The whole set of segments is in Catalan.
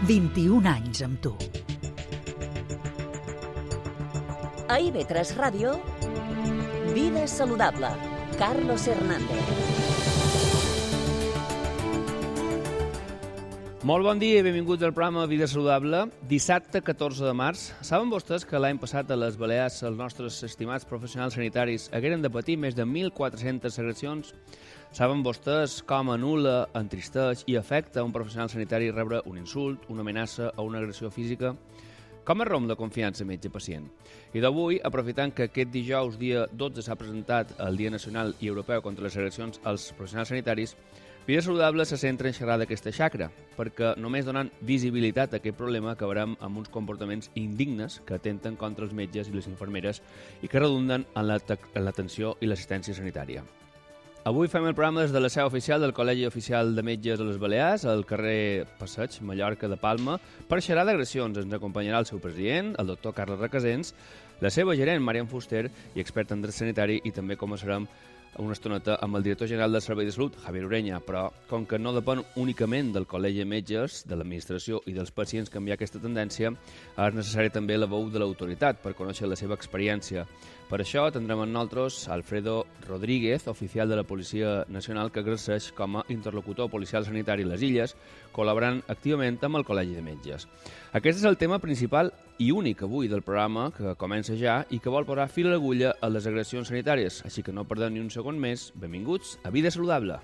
21 anys amb tu. A IB3 Ràdio, Vida Saludable, Carlos Hernández. Molt bon dia i benvinguts al programa Vida Saludable. Dissabte 14 de març. Saben vostès que l'any passat a les Balears els nostres estimats professionals sanitaris hagueren de patir més de 1.400 agressions? Saben vostès com anul·la, entristeix i afecta a un professional sanitari rebre un insult, una amenaça o una agressió física? Com es romp la confiança metge-pacient? I d'avui, aprofitant que aquest dijous, dia 12, s'ha presentat el Dia Nacional i Europeu contra les agressions als professionals sanitaris, Vida Saludable se centra en xerrar d'aquesta xacra, perquè només donant visibilitat a aquest problema acabarem amb uns comportaments indignes que atenten contra els metges i les infermeres i que redunden en l'atenció i l'assistència sanitària. Avui fem el programa des de la seu oficial del Col·legi Oficial de Metges de les Balears, al carrer Passeig, Mallorca de Palma, per xerrar d'agressions. Ens acompanyarà el seu president, el doctor Carles Recasens, la seva gerent, Marian Fuster, i expert en dret sanitari, i també començarem una estoneta amb el director general del Servei de Salut, Javier Ureña, però com que no depèn únicament del Col·legi de Metges, de l'administració i dels pacients canviar aquesta tendència, és necessari també la veu de l'autoritat per conèixer la seva experiència. Per això tindrem amb nosaltres Alfredo Rodríguez, oficial de la Policia Nacional, que exerceix com a interlocutor policial sanitari a les Illes, col·laborant activament amb el Col·legi de Metges. Aquest és el tema principal i únic avui del programa, que comença ja i que vol posar fil a l'agulla a les agressions sanitàries. Així que no perdem ni un segon més. Benvinguts a Vida Saludable.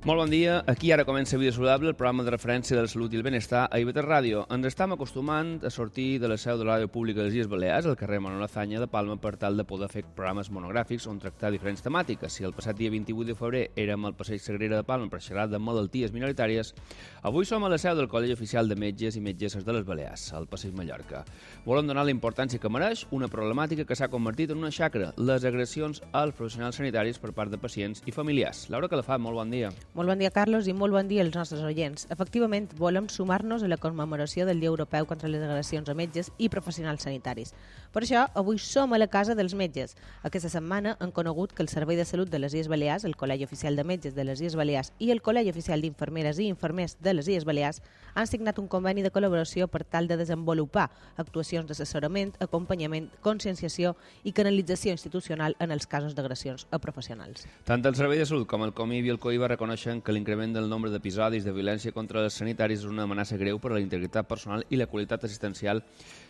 Molt bon dia. Aquí ara comença Vida Saludable, el programa de referència de la salut i el benestar a IB3 Ràdio. Ens estem acostumant a sortir de la seu de la ràdio pública de les Illes Balears, al carrer Manuel Azaña de Palma, per tal de poder fer programes monogràfics on tractar diferents temàtiques. Si el passat dia 28 de febrer érem al Passeig Sagrera de Palma per xerrar de malalties minoritàries, avui som a la seu del Col·legi Oficial de Metges i Metgesses de les Balears, al Passeig Mallorca. Volem donar la importància que mereix una problemàtica que s'ha convertit en una xacra, les agressions als professionals sanitaris per part de pacients i familiars. Laura Calafat, molt bon dia. Molt bon dia, Carlos, i molt bon dia als nostres oients. Efectivament, volem sumar-nos a la commemoració del Dia Europeu contra les agressions a metges i professionals sanitaris. Per això, avui som a la Casa dels Metges. Aquesta setmana hem conegut que el Servei de Salut de les Illes Balears, el Col·legi Oficial de Metges de les Illes Balears i el Col·legi Oficial d'Infermeres i Infermers de les Illes Balears han signat un conveni de col·laboració per tal de desenvolupar actuacions d'assessorament, acompanyament, conscienciació i canalització institucional en els casos d'agressions a professionals. Tant el Servei de Salut com el COMIB i el COIBA reconeixen que l'increment del nombre d'episodis de violència contra els sanitaris és una amenaça greu per a la integritat personal i la qualitat assistencial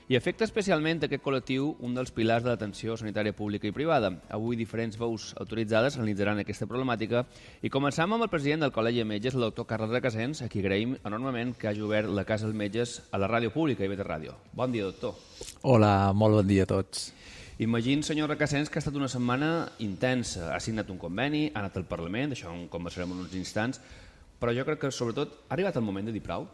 i afecta especialment aquest col·lectiu, un dels pilars de l'atenció sanitària pública i privada. Avui diferents veus autoritzades analitzaran aquesta problemàtica i començam amb el president del Col·legi de Metges, el doctor Carles Recasens, a qui agraïm enormement que hagi obert la Casa dels Metges a la ràdio pública, IB3 Ràdio. Bon dia, doctor. Hola, molt bon dia a tots. Imagino, senyor Recasens, que ha estat una setmana intensa. Ha signat un conveni, ha anat al Parlament, d'això en conversarem en uns instants, però jo crec que, sobretot, ha arribat el moment de dir prou?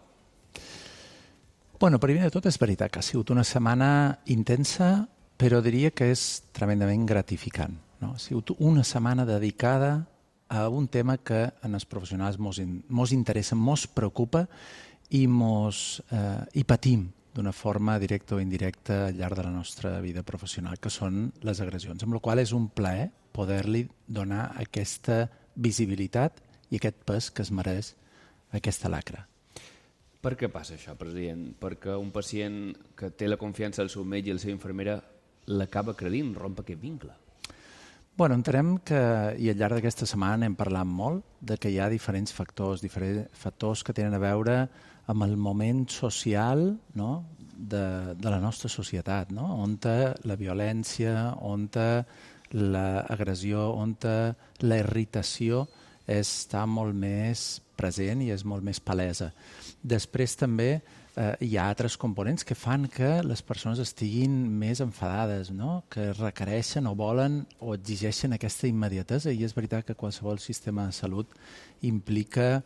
Bueno, primer de tot és veritat que ha sigut una setmana intensa, però diria que és tremendament gratificant. No? Ha sigut una setmana dedicada a un tema que en els professionals mos interessa, mos preocupa i patim d'una forma directa o indirecta al llarg de la nostra vida professional, que són les agressions, amb la qual és un plaer poder-li donar aquesta visibilitat i aquest pes que es mereix aquesta lacra. Per què passa això, president? Perquè un pacient que té la confiança del seu metge i la seva infermera l'acaba credint, romp aquest vincle. Bueno, entenem que, i al llarg d'aquesta setmana n'hem parlat molt, de que hi ha diferents factors que tenen a veure amb el moment social, no? de la nostra societat, no? On la violència, on l'agressió, on la irritació està molt més present i és molt més palesa. Després també hi ha altres components que fan que les persones estiguin més enfadades, no? Que requereixen o volen o exigeixen aquesta immediatesa, i és veritat que qualsevol sistema de salut implica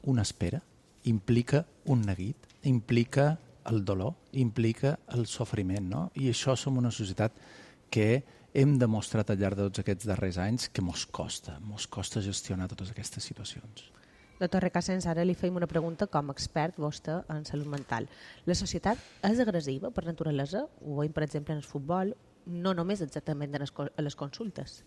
una espera, implica un neguit, implica el dolor, implica el sofriment, no? I això som una societat que hem demostrat al llarg de tots aquests darrers anys que mos costa gestionar totes aquestes situacions. Doctor Recasens, ara li feim una pregunta com a expert vostè en salut mental. La societat és agressiva per naturalesa? Ho veiem, per exemple, en el futbol, no només exactament a les consultes.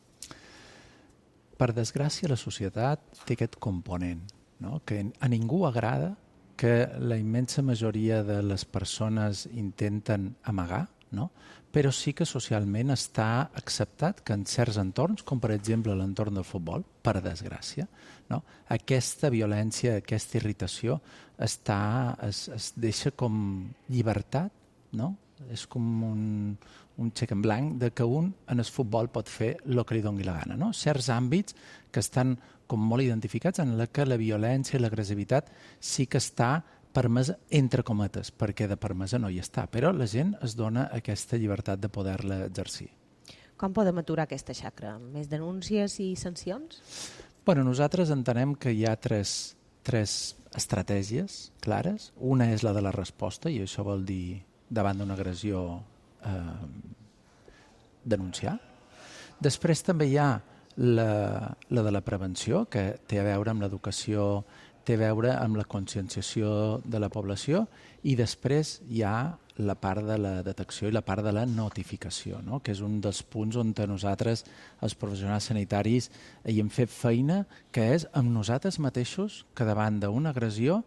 Per desgràcia, la societat té aquest component, no? Que a ningú agrada que la immensa majoria de les persones intenten amagar, no? Però sí que socialment està acceptat que en certs entorns, com per exemple l'entorn del futbol, per desgràcia, no? Aquesta violència, aquesta irritació es deixa com llibertat, no? És com un xec en blanc de que un en el futbol pot fer el que li doni la gana. No? Certs àmbits que estan com molt identificats en la que la violència i l'agressivitat sí que està permesa entre cometes, perquè de permesa no hi està, però la gent es dona aquesta llibertat de poder-la exercir. Com podem aturar aquesta xacra? Més denúncies i sancions? Bueno, nosaltres entenem que hi ha tres estratègies clares. Una és la de la resposta, i això vol dir davant d'una agressió denunciar. Després també hi ha la de la prevenció, que té a veure amb l'educació, té a veure amb la conscienciació de la població, i després hi ha la part de la detecció i la part de la notificació, no? Que és un dels punts on nosaltres, els professionals sanitaris, hi hem fet feina, que és amb nosaltres mateixos que davant d'una agressió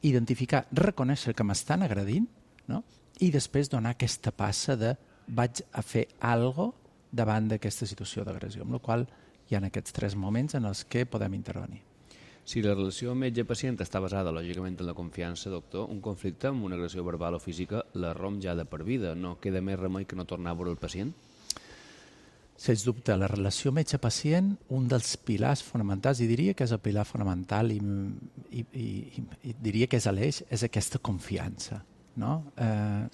identificar, reconèixer que m'estan agredint, no? I després donar aquesta passa de vaig a fer alguna cosa davant d'aquesta situació d'agressió, amb la qual hi ha aquests tres moments en els que podem intervenir. Si la relació metge-pacient està basada, lògicament, en la confiança, doctor, un conflicte amb una agressió verbal o física la romp ja de per vida. No queda més remei que no tornar a veure el pacient? Sens dubte, la relació metge-pacient, un dels pilars fonamentals, i diria que és el pilar fonamental i diria que és l'eix, és aquesta confiança. No?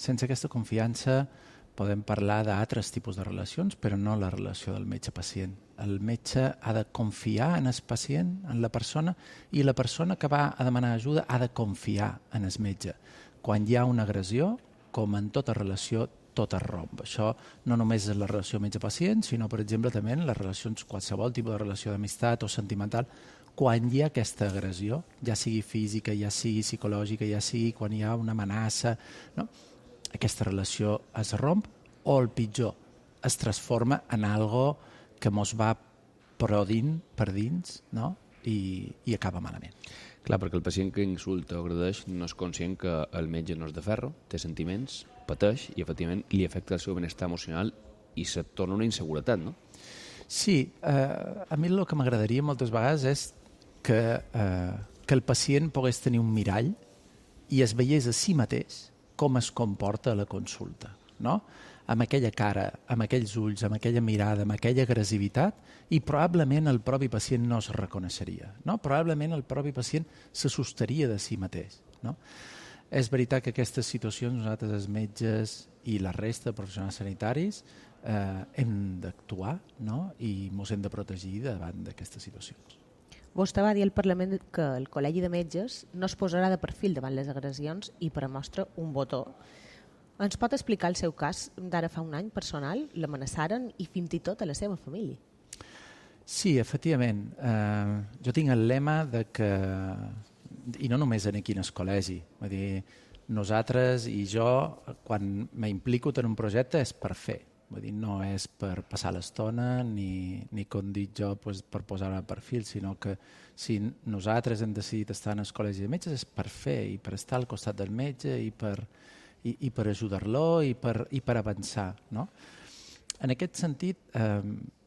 Sense aquesta confiança podem parlar d'altres tipus de relacions, però no la relació del metge-pacient. El metge ha de confiar en el pacient, en la persona, i la persona que va a demanar ajuda ha de confiar en el metge. Quan hi ha una agressió, com en tota relació, tot es romp. Això no només és la relació metge-pacient, sinó, per exemple, també en les relacions, qualsevol tipus de relació d'amistat o sentimental, quan hi ha aquesta agressió, ja sigui física, ja sigui psicològica, ja sigui quan hi ha una amenaça, no? Aquesta relació es romp o, el pitjor, es transforma en algo que mos va prodint per dins, no? I acaba malament. Clar, perquè el pacient que insulta o agredeix no és conscient que el metge no és de ferro, té sentiments, pateix i, efectivament, li afecta el seu benestar emocional i se torna una inseguretat, no? Sí, a mi el que m'agradaria moltes vegades és que el pacient pogués tenir un mirall i es veiés a si mateix com es comporta a la consulta, no? Amb aquella cara, amb aquells ulls, amb aquella mirada, amb aquella agressivitat, i probablement el propi pacient no es reconeixeria, no? Probablement el propi pacient se sostaria de si mateix, no? És veritat que aquestes situacions nosaltres, els metges i la resta de professionals sanitaris, hem d'actuar, no? I ens hem de protegir davant d'aquestes situacions. Vostè va dir al Parlament que el Col·legi de Metges no es posarà de perfil davant les agressions i per a mostra un botó. Ens pot explicar el seu cas d'ara fa un any personal? L'amenaçaren i fins i tot a la seva família. Sí, efectivament. Jo tinc el lema de que, i no només aquí en el col·legi, vull dir, nosaltres i jo, quan m'implico en un projecte és per fer. Vull dir, no és per passar l'estona ni com dic jo per posar el perfil, sinó que si nosaltres hem decidit estar en el col·legi de metges és per fer i per estar al costat del metge i per ajudar-lo i per avançar, no? En aquest sentit,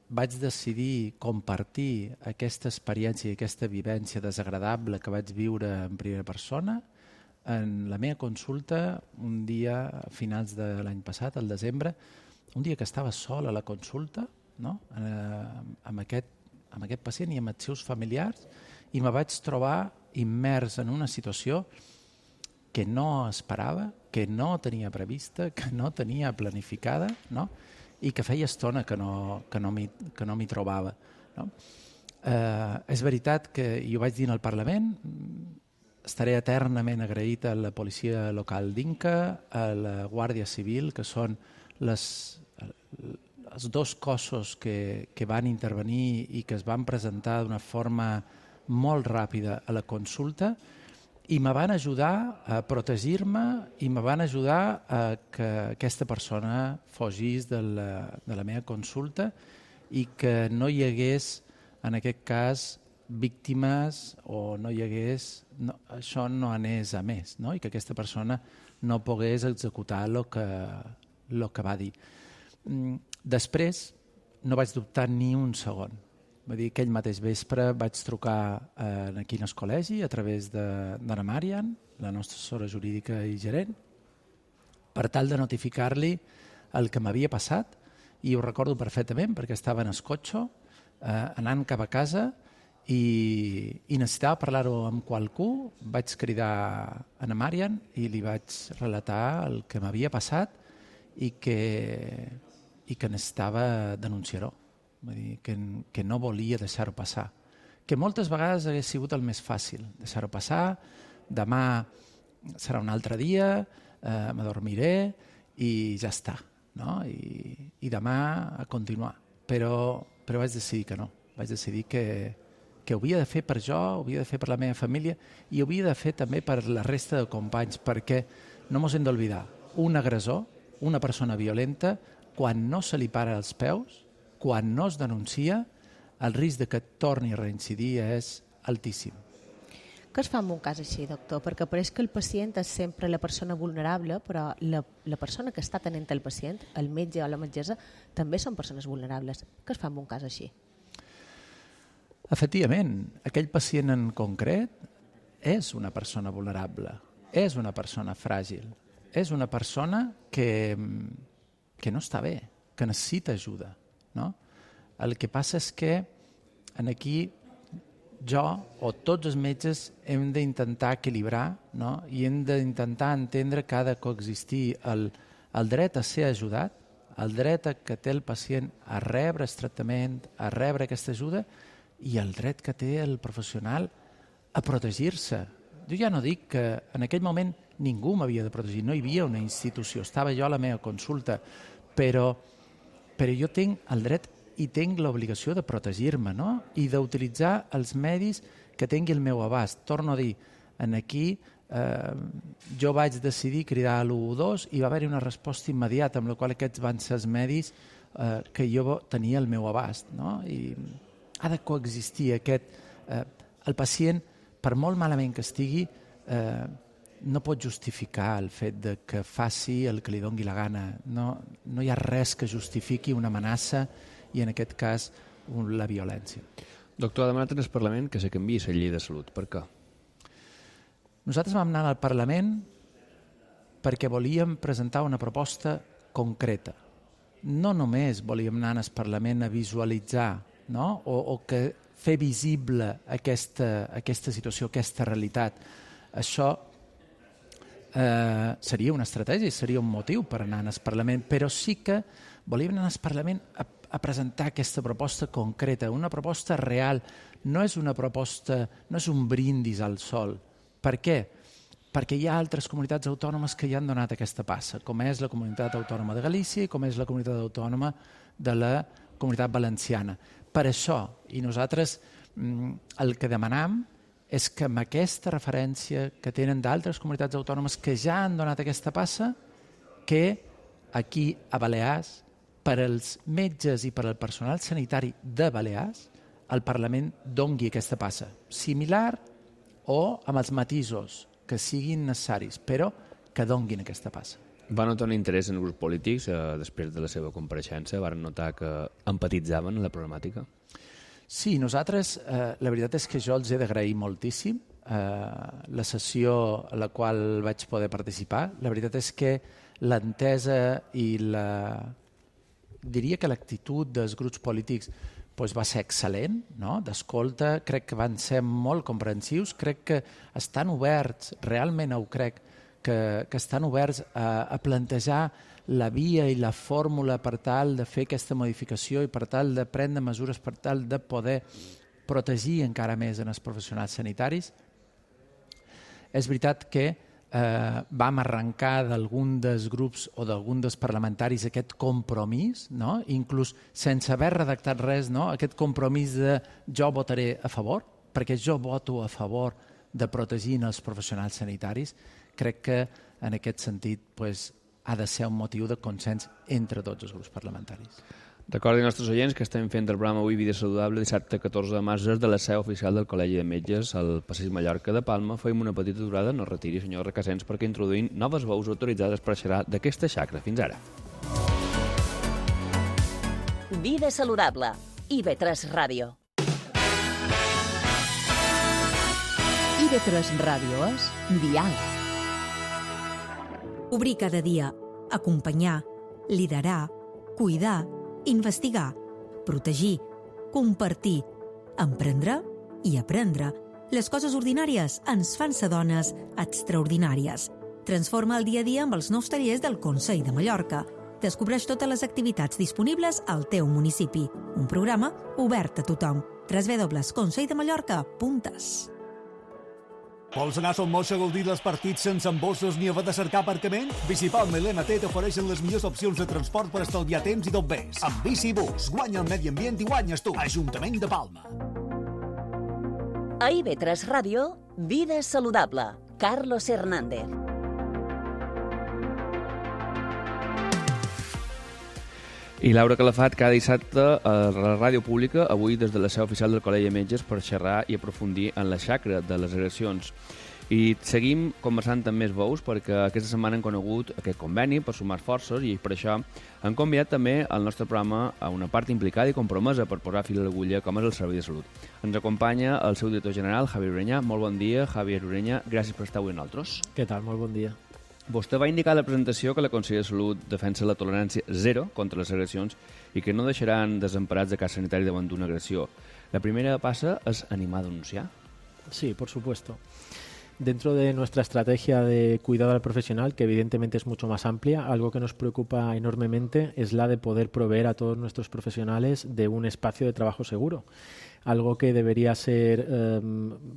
vaig decidir compartir aquesta experiència i aquesta vivència desagradable que vaig viure en primera persona en la meva consulta un dia a finals de l'any passat, al desembre, un dia que estava sol a la consulta, no? amb aquest pacient i amb els seus familiars, i me vaig trobar immers en una situació que no esperava, que no tenia prevista, que no tenia planificada, no? I que feia estona que no m'hi trobava. No? És veritat que jo vaig dir al Parlament, estaré eternament agraït a la policia local d'Inca, a la Guàrdia Civil, que són els dos cossos que van intervenir i que es van presentar d'una forma molt ràpida a la consulta i me van ajudar a protegir-me i me van ajudar a que aquesta persona fugís de la meva consulta i que no hi hagués, en aquest cas, víctimes o no hi hagués... No, això no anés a més, no? I que aquesta persona no pogués executar el que va dir. Després no vaig dubtar ni un segon. Vull dir, aquell mateix vespre vaig trucar aquí en el col·legi a través d'Anna Marian, la nostra assessora jurídica i gerent, per tal de notificar-li el que m'havia passat, i ho recordo perfectament perquè estava en el cotxe anant cap a casa i necessitava parlar-ho amb qualcú. Vaig cridar Anna Marian i li vaig relatar el que m'havia passat i que necessitava denunciar-ho. Vull dir, que no volia deixar-ho passar. Que moltes vegades hagués sigut el més fàcil, deixar-ho passar, demà serà un altre dia, m'adormiré i ja està, no? I demà a continuar. Però vaig decidir que no. Vaig decidir que ho havia de fer per jo, ho havia de fer per la meva família i ho havia de fer també per la resta de companys, perquè no mos hem d'oblidar, un agressor, una persona violenta, quan no se li para els peus, quan no es denuncia, el risc de que torni a reincidir és altíssim. Què es fa en un cas així, doctor? Perquè pareix que el pacient és sempre la persona vulnerable, però la persona que està tenint el pacient, el metge o la metgessa, també són persones vulnerables. Què es fa en un cas així? Efectivament, aquell pacient en concret és una persona vulnerable, és una persona fràgil, és una persona que no està bé, que necessita ajuda. No? El que passa és que aquí jo o tots els metges hem d'intentar equilibrar, no? I hem d'intentar entendre que ha de coexistir el dret a ser ajudat, el dret que té el pacient a rebre el tractament, a rebre aquesta ajuda i el dret que té el professional a protegir-se. Jo ja no dic que en aquell moment ningú m'havia de protegir, no hi havia una institució, estava jo a la meva consulta, però jo tinc el dret i tinc l'obligació de protegir-me, no? I d'utilitzar els medis que tingui el meu abast. Torno a dir, aquí jo vaig decidir cridar a l'112 i va haver-hi una resposta immediata, amb la qual aquests van ser els medis que jo tenia al meu abast, no? I ha de coexistir aquest... El pacient, per molt malament que estigui, no pot justificar el fet de que faci el que li doni la gana. No hi ha res que justifiqui una amenaça i, en aquest cas, la violència. Doctor, ha demanat en el Parlament que se canviï la llei de salut. Per què? Nosaltres vam anar al Parlament perquè volíem presentar una proposta concreta. No només volíem anar al Parlament a visualitzar, no? o que fer visible aquesta situació, aquesta realitat. Això seria una estratègia, seria un motiu per anar al Parlament, però sí que volíem anar al Parlament a presentar aquesta proposta concreta, una proposta real. No és una proposta, no és un brindis al sol. Per què? Perquè hi ha altres comunitats autònomes que ja han donat aquesta passa, com és la Comunitat Autònoma de Galícia i com és la Comunitat Autònoma de la Comunitat Valenciana. Per això, i nosaltres el que demanam és que amb aquesta referència que tenen d'altres comunitats autònomes que ja han donat aquesta passa, que aquí a Balears, per als metges i per al personal sanitari de Balears, el Parlament dongui aquesta passa, similar o amb els matisos que siguin necessaris, però que donguin aquesta passa. Va notar un interès en grups polítics després de la seva compareixença? Van notar que empatitzaven en la problemàtica? Sí, nosaltres, la veritat és que jo els he d'agrair moltíssim la sessió a la qual vaig poder participar. La veritat és que l'entesa i diria que l'actitud dels grups polítics va ser excel·lent, no? D'escolta, crec que van ser molt comprensius, crec que estan oberts, realment ho crec, que estan oberts a plantejar la via i la fórmula per tal de fer aquesta modificació i per tal de prendre mesures per tal de poder protegir encara més en els professionals sanitaris. És veritat que vam arrencar d'algun dels grups o d'algun dels parlamentaris aquest compromís, inclús sense haver redactat res, aquest compromís de jo votaré a favor, perquè jo voto a favor de protegir els professionals sanitaris, crec que en aquest sentit ha de ser un motiu de consens entre tots els grups parlamentaris. Recordin als nostres oients que estem fent el programa avui Vida Saludable dissabte 14 de març des de la seu oficial del Col·legi de Metges al Passeig Mallorca de Palma. Fem una petita aturada, no retiri, senyor Recasens, perquè introduïm noves veus autoritzades per xerrar d'aquesta xacra. Fins ara. Vida Saludable. IB3 Ràdio. IB3 Ràdio és diàleg. Obrir cada dia, acompanyar, liderar, cuidar, investigar, protegir, compartir, emprendre i aprendre. Les coses ordinàries ens fan ser dones extraordinàries. Transforma el dia a dia amb els nous tallers del Consell de Mallorca. Descobreix totes les activitats disponibles al teu municipi. Un programa obert a tothom. www.conselldeMallorca.es. Vols anar a Son Moix a gaudir dels partits sense embossos ni haver de cercar aparcament? Bicipalma i l'MT t'ofereixen les millors opcions de transport per estalviar temps i tot més. Amb Bicibus, guanya el medi ambient i guanyes tu. Ajuntament de Palma. A IB3 Ràdio, Vida Saludable. Carlos Hernández. I Laura Calafat cada dissabte a la ràdio pública, avui des de la seu oficial del Col·legi de Metges per xerrar i aprofundir en la xacra de les agressions. I seguim conversant amb més veus perquè aquesta setmana hem conegut aquest conveni per sumar forces i per això hem convidat també al nostre programa a una part implicada i compromesa per posar fil a l'agulla com és el Servei de Salut. Ens acompanya el seu director general, Javier Ureña. Molt bon dia, Javier Ureña. Gràcies per estar avui amb nosaltres. Què tal? Molt bon dia. Vostè va indicar a la presentació que la Conselleria de Salut defensa la tolerància zero contra les agressions i que no deixaran desemparats de cas sanitari davant d'una agressió. La primera passa es animar a denunciar. Sí, por supuesto. Dentro de nuestra estrategia de cuidado al profesional, que evidentemente es mucho más amplia, algo que nos preocupa enormemente es la de poder proveer a todos nuestros profesionales de un espacio de trabajo seguro. Algo que debería ser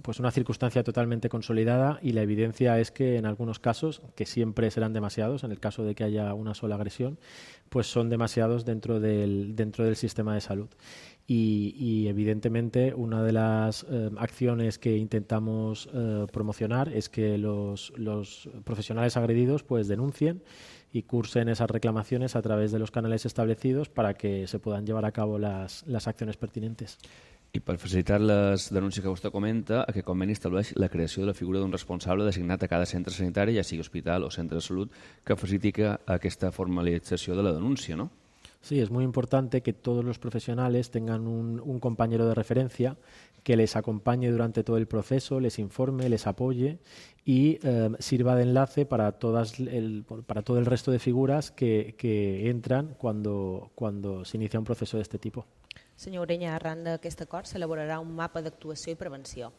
pues una circunstancia totalmente consolidada, y la evidencia es que en algunos casos, que siempre serán demasiados, en el caso de que haya una sola agresión, pues son demasiados dentro del sistema de salud. Y evidentemente una de las acciones que intentamos promocionar es que los profesionales agredidos pues denuncien y cursen esas reclamaciones a través de los canales establecidos para que se puedan llevar a cabo las acciones pertinentes. I per facilitar les denúncies que vostè comenta, aquest conveni estableix la creació de la figura d'un responsable designat a cada centre sanitari, ja sigui hospital o centre de salut, que faciliti aquesta formalització de la denúncia, ¿no? Sí, es muy importante que todos los profesionales tengan un compañero de referencia que les acompañe durante todo el proceso, les informe, les apoye y sirva de enlace para todo el resto de figuras que entran cuando se inicia un proceso de este tipo. Senyor Ureña, arran d'aquest acord s'elaborarà un mapa d'actuació i prevenció.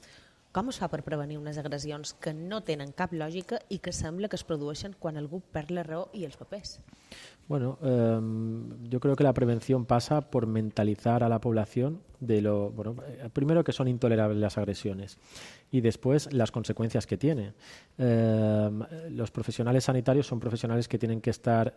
Com es fa per prevenir unes agressions que no tenen cap lògica i que sembla que es produeixen quan algú perd la raó i els papers? Bueno, yo creo que la prevención pasa por mentalizar a la población de primero que son intolerables las agresiones y después las consecuencias que tiene. Los profesionales sanitarios son profesionales que tienen que estar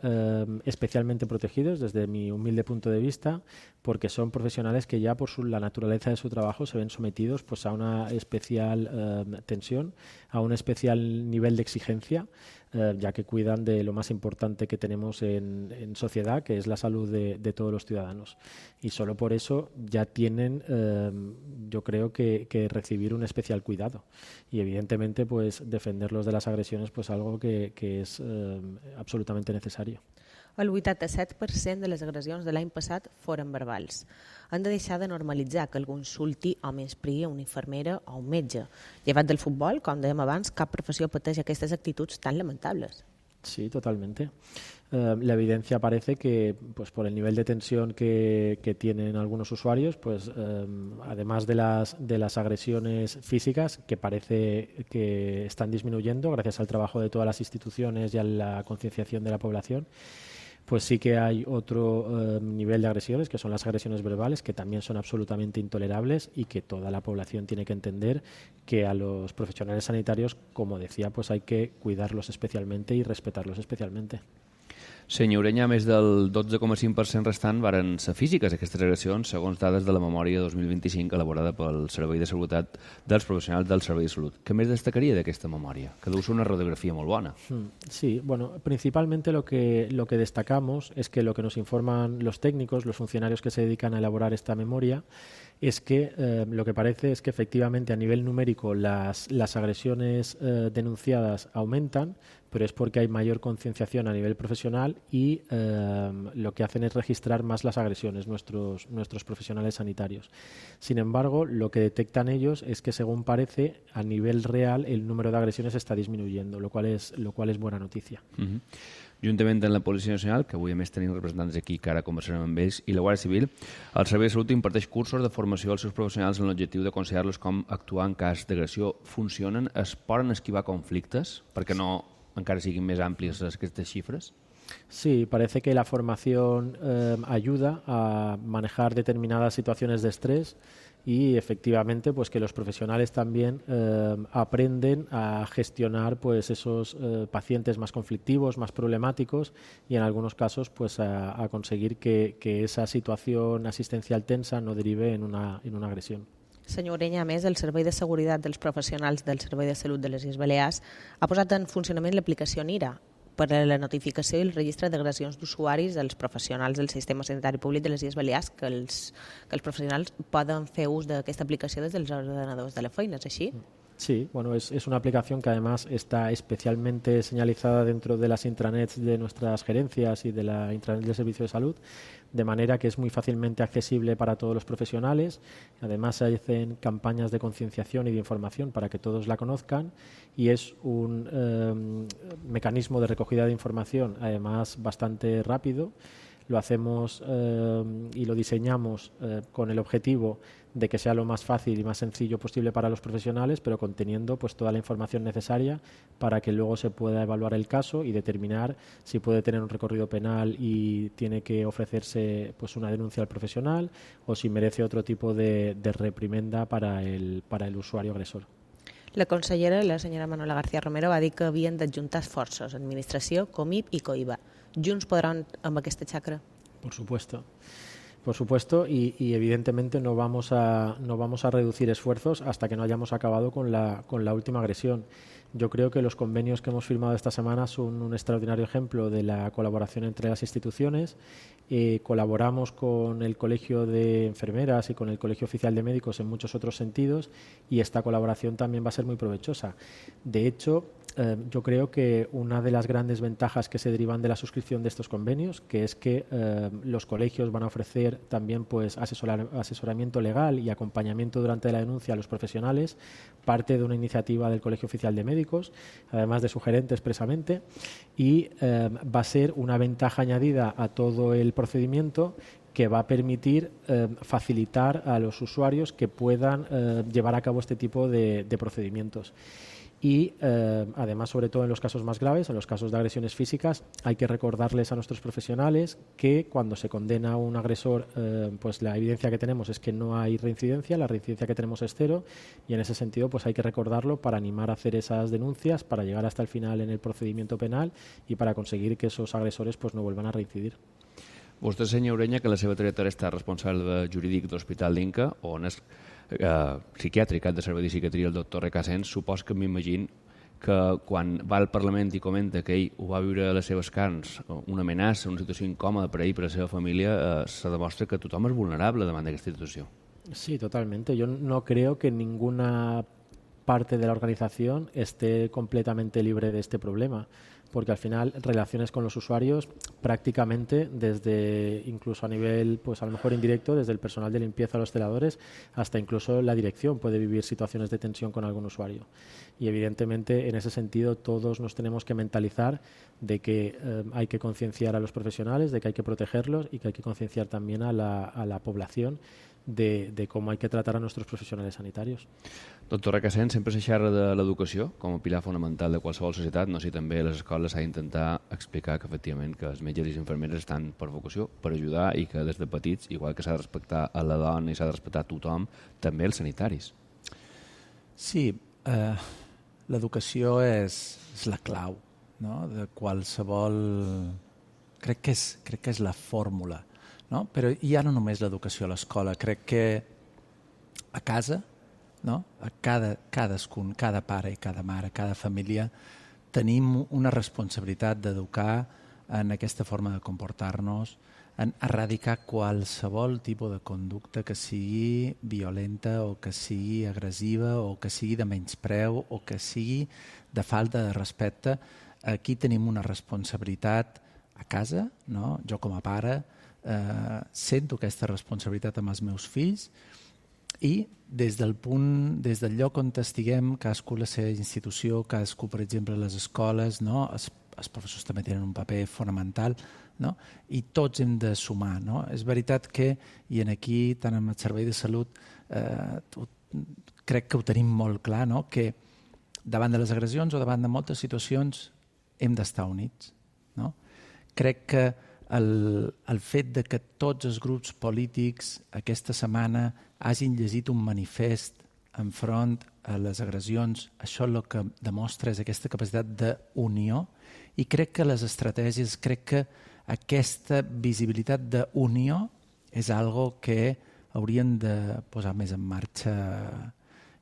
especialmente protegidos desde mi humilde punto de vista, porque son profesionales que ya por la naturaleza de su trabajo se ven sometidos pues a una especial tensión, a un especial nivel de exigencia, ya que cuidan de lo más importante que tenemos en sociedad, que es la salud de todos los ciudadanos. Y solo por eso ya tienen, yo creo que recibir un especial cuidado. Y evidentemente, pues defenderlos de las agresiones, pues algo que es absolutamente necesario. El 87% de les agressions de l'any passat foren verbals. Han de deixar de normalitzar que algú insulti o menyspregui a una infermera o un metge. Llevat del futbol, com dèiem abans, cap professió pateix aquestes actituds tan lamentables. Sí, totalmente. La evidencia parece que, pues por el nivel de tensión que tienen algunos usuarios, pues además de las agresiones físicas, que parece que están disminuyendo gracias al trabajo de todas las instituciones y a la concienciación de la población, pues sí que hay otro nivel de agresiones, que son las agresiones verbales, que también son absolutamente intolerables y que toda la población tiene que entender que a los profesionales sanitarios, como decía, pues hay que cuidarlos especialmente y respetarlos especialmente. Senyor Ureña, més del 12,5% restant varen ser físiques aquestes agressions, segons dades de la memòria 2025 elaborada pel Servei de Seguretat dels Professionals del Servei de Salut. Què més destacaria d'aquesta memòria? Que deu ser una radiografía molt bona. Sí, bueno, principalmente lo que destacamos es que lo que nos informan los técnicos, los funcionarios que se dedican a elaborar esta memoria, es que lo que parece es que efectivamente a nivel numérico las agresiones denunciadas aumentan, pero es porque hay mayor concienciación a nivel profesional y lo que hacen es registrar más las agresiones nuestros profesionales sanitarios. Sin embargo, lo que detectan ellos es que, según parece, a nivel real el número de agresiones está disminuyendo, lo cual es buena noticia. Juntament amb la Policia Nacional, que avui a més tenim representants aquí que ara conversarem amb ells, i la Guàrdia Civil, el Servei de Salut imparteix cursos de formació als seus professionals amb l'objectiu d'aconsellar-los com actuar en cas d'agressió. Funcionen? Es poden esquivar conflictes? Perquè no encara siguin més àmplies aquestes xifres? Sí, parece que la formación ayuda a manejar determinadas situaciones de estrés y efectivamente pues que los profesionales también aprenden a gestionar pues esos pacientes más conflictivos, más problemáticos y en algunos casos pues a conseguir que esa situación asistencial tensa no derive en una agresión. Senyor Ureña, a més, el Servei de Seguretat dels Professionals del Servei de Salut de les Illes Balears ha posat en funcionament l'aplicació NIRA per a la notificació i el registre d'agressions d'usuaris dels professionals del sistema sanitari públic de les Illes Balears, que els professionals poden fer ús d'aquesta aplicació des dels ordenadors de la feina, és així? Sí, bueno, es una aplicación que además está especialmente señalizada dentro de las intranets de nuestras gerencias y de la intranet del Servicio de Salud, de manera que es muy fácilmente accesible para todos los profesionales. Además, se hacen campañas de concienciación y de información para que todos la conozcan y es un mecanismo de recogida de información, además, bastante rápido. Lo hacemos y lo diseñamos con el objetivo de que sea lo más fácil y más sencillo posible para los profesionales, pero conteniendo pues toda la información necesaria para que luego se pueda evaluar el caso y determinar si puede tener un recorrido penal y tiene que ofrecerse pues una denuncia al profesional o si merece otro tipo de reprimenda para el usuario agresor. La consellera, la senyora Manuela García Romero, va dir que havien d'adjuntar esforços, administració, Comip i COIBA. Junts podran amb aquesta xacra? Por supuesto, y evidentemente no vamos a reducir esfuerzos hasta que no hayamos acabado con la última agresión. Yo creo que los convenios que hemos firmado esta semana son un extraordinario ejemplo de la colaboración entre las instituciones. Colaboramos con el Colegio de Enfermeras y con el Colegio Oficial de Médicos en muchos otros sentidos y esta colaboración también va a ser muy provechosa. De hecho, yo creo que una de las grandes ventajas que se derivan de la suscripción de estos convenios, que es que los colegios van a ofrecer también pues asesoramiento legal y acompañamiento durante la denuncia a los profesionales, parte de una iniciativa del Colegio Oficial de Médicos, además de su gerente expresamente, y va a ser una ventaja añadida a todo el procedimiento que va a permitir facilitar a los usuarios que puedan llevar a cabo este tipo de procedimientos. Y además, sobre todo en los casos más graves, en los casos de agresiones físicas, hay que recordarles a nuestros profesionales que cuando se condena a un agresor, pues la evidencia que tenemos es que no hay reincidencia, la reincidencia que tenemos es cero y en ese sentido pues hay que recordarlo para animar a hacer esas denuncias, para llegar hasta el final en el procedimiento penal y para conseguir que esos agresores pues no vuelvan a reincidir. Vostè, senyor Ureña, que la seva trajectòria està responsable jurídic d'Hospital d'Inca, on és psiquiàtric de servei de psiquiatria el doctor Recasens, supos que m'imagino que quan va al Parlament i comenta que ell ho va viure a les seves carns, una amenaça, una situació incòmoda per a ell i per a la seva família, se demostra que tothom és vulnerable davant d'aquesta situació. Sí, totalmente. Yo no creo que ninguna parte de la organización esté completamente libre de este problema, porque al final relaciones con los usuarios prácticamente desde incluso a nivel pues a lo mejor indirecto, desde el personal de limpieza a los celadores hasta incluso la dirección puede vivir situaciones de tensión con algún usuario y evidentemente en ese sentido todos nos tenemos que mentalizar de que hay que concienciar a los profesionales, de que hay que protegerlos y que hay que concienciar también a la población de cómo hay que tratar a nuestros profesionales sanitarios. Doctor Recasens, sempre se xerra de l'educació com a pilar fonamental de qualsevol societat. No sé si també a les escoles s'ha d'intentar explicar que efectivament que els metges i les infermeres estan per vocació, per ajudar i que des de petits, igual que s'ha de respectar a la dona i s'ha de respectar a tothom, també els sanitaris. Sí, l'educació és la clau, no?, de qualsevol crec que és la fórmula, no? Però ja no només l'educació a l'escola, crec que a casa, no? A cadascun, cada pare i cada mare, cada família, tenim una responsabilitat d'educar en aquesta forma de comportar-nos, en erradicar qualsevol tipus de conducta que sigui violenta o que sigui agressiva o que sigui de menyspreu o que sigui de falta de respecte. Aquí tenim una responsabilitat a casa, no? Jo com a pare sento aquesta responsabilitat amb els meus fills i des del lloc on estiguem, cadascú la seva institució, cadascú, per exemple, les escoles, no? Els professors també tenen un paper fonamental, no? I tots hem de sumar, no? És veritat que, i aquí, tant amb el servei de salut, crec que ho tenim molt clar, no? Que davant de les agressions o davant de moltes situacions hem d'estar units, no? Crec que el fet de que tots els grups polítics aquesta setmana hagin llegit un manifest enfront a les agressions, això el que demostra és aquesta capacitat d'unió i crec que les estratègies, crec que aquesta visibilitat d'unió és algo que haurien de posar més en marxa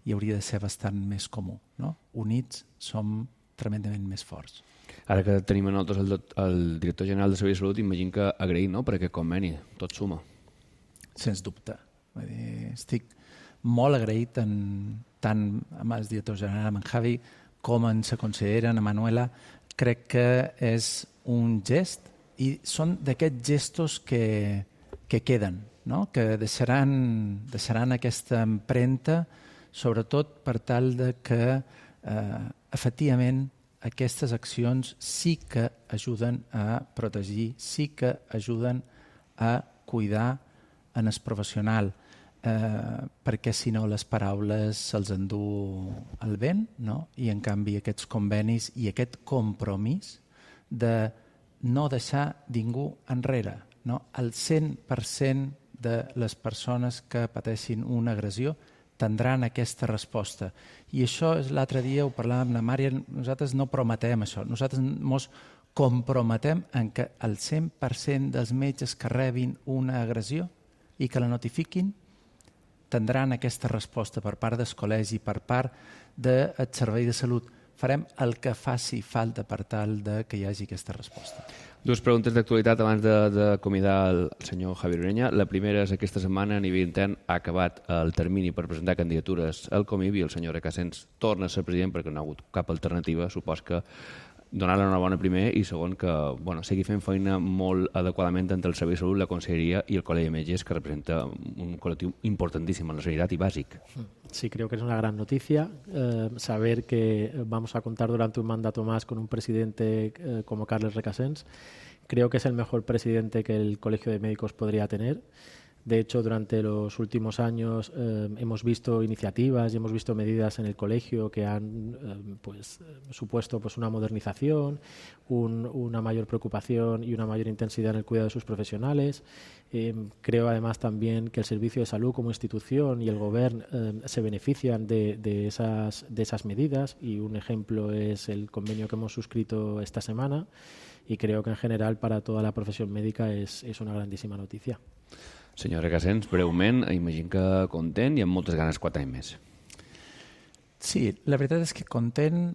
i hauria de ser bastant més comú, no? Units som tremendament més forts. Ara que tenim a nosaltres el director general de Servei de Salut, imagino que agraït, no?, per aquest conveni. Tot suma. Sens dubte. Vull dir, estic molt agraït tant amb el director general, amb en Javi, com amb la consellera, amb Manuela. Crec que és un gest i són d'aquests gestos que queden, no? Que deixaran aquesta empremta, sobretot per tal de que efectivament aquestes accions sí que ajuden a protegir, sí que ajuden a cuidar en el professional, perquè si no les paraules se'ls endú el vent, no? I en canvi aquests convenis i aquest compromís de no deixar ningú enrere, no? El 100% de les persones que pateixin una agressió tindran aquesta resposta. I això és l'altre dia, ho parlàvem amb la Mària, nosaltres no prometem això, nosaltres ens comprometem en que el 100% dels metges que rebin una agressió i que la notifiquin tindran aquesta resposta per part del col·legi, per part del servei de salut. Farem el que faci falta per tal que hi hagi aquesta resposta. Dues preguntes d'actualitat abans d'acomiadar el senyor Javier Ureña. La primera és aquesta setmana a nivell intern ha acabat el termini per presentar candidatures al Comib i el senyor Recasens torna a ser president perquè no ha hagut cap alternativa. Supos que donar-li una bona primer i segon que sigui fent feina molt adequadament entre el Servei de Salut, la Conselleria y el Col·legi de Metges, que representa un colectivo importantísimo en la sanidad y básico. Sí, creo que es una gran noticia saber que vamos a contar durante un mandato más con un presidente como Carles Recasens. Creo que es el mejor presidente que el Colegio de Médicos podría tener. De hecho, durante los últimos años hemos visto iniciativas y hemos visto medidas en el colegio que han supuesto una modernización, una mayor preocupación y una mayor intensidad en el cuidado de sus profesionales. Creo además también que el Servicio de Salud como institución y el Gobierno se benefician de esas medidas y un ejemplo es el convenio que hemos suscrito esta semana y creo que en general para toda la profesión médica es una grandísima noticia. Senyor Recasens, breument, imagino que content i amb moltes ganes 4 anys més. Sí, la veritat és que content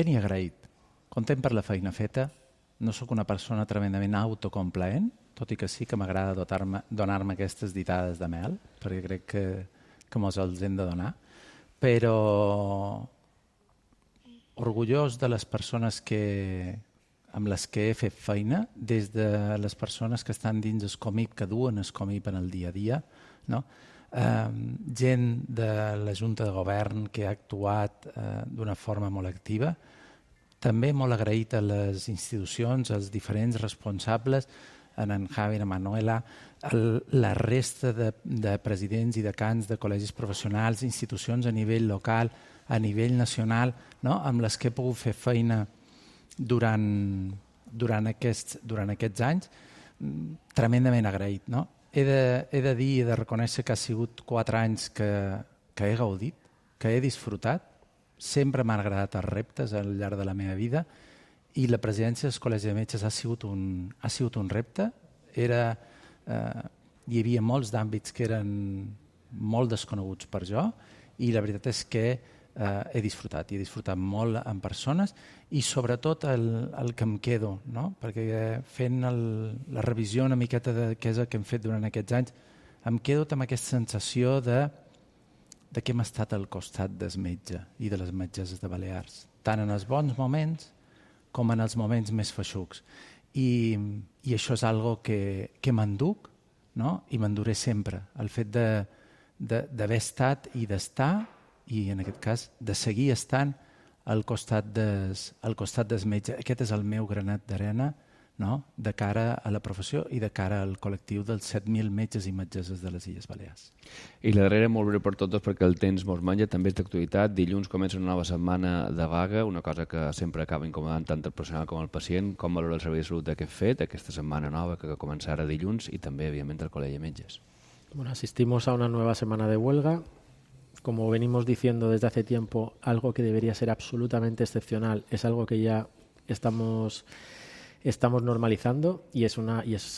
i agraït. Content per la feina feta. No sóc una persona tremendament autocomplaent, tot i que sí que m'agrada donar-me aquestes ditades de mel, perquè crec que mos els hem de donar. Però orgullós de les persones amb les que he fet feina, des de les persones que estan dins el Comib, que duen el Comib en el dia a dia, no? Gent de la Junta de Govern que ha actuat d'una forma molt activa, també molt agraït a les institucions, als diferents responsables, en Javi, en Manuela, la resta de presidents i decans de col·legis professionals, institucions a nivell local, a nivell nacional, no? Amb les que he pogut fer feina durant aquests anys, tremendament agraït. No? He de dir i de reconèixer que ha sigut 4 anys que he gaudit, que he disfrutat. Sempre m'han agradat els reptes al llarg de la meva vida i la presidència del Col·legi de Metges ha sigut un repte. Hi havia molts d'àmbits que eren molt desconeguts per jo i la veritat és que he disfrutat molt amb persones i sobretot el que em quedo, no? Perquè fent la revisió una miqueta de què és el que hem fet durant aquests anys, em quedo amb aquesta sensació de que hem estat al costat del metge i de les metges de Balears, tant en els bons moments com en els moments més feixucs. I això és algo que m'enduc, no? I m'enduré sempre. El fet d'haver estat i d'estar, i en aquest cas de seguir estant al costat dels metges. Aquest és el meu granet d'arena, no? De cara a la professió i de cara al col·lectiu dels 7.000 metges i metgesses de les Illes Balears. I la darrera, molt breu per totes, perquè el temps mos menja, també és d'actualitat. Dilluns comença una nova setmana de vaga, una cosa que sempre acaba incomodant tant el personal com el pacient. Com valora el Servei de Salut d'aquest fet, aquesta setmana nova que començarà dilluns, i també, evidentment, el Col·legi de Metges? Bueno, asistimos a una nueva semana de huelga. Como venimos diciendo desde hace tiempo, algo que debería ser absolutamente excepcional es algo que ya estamos normalizando y es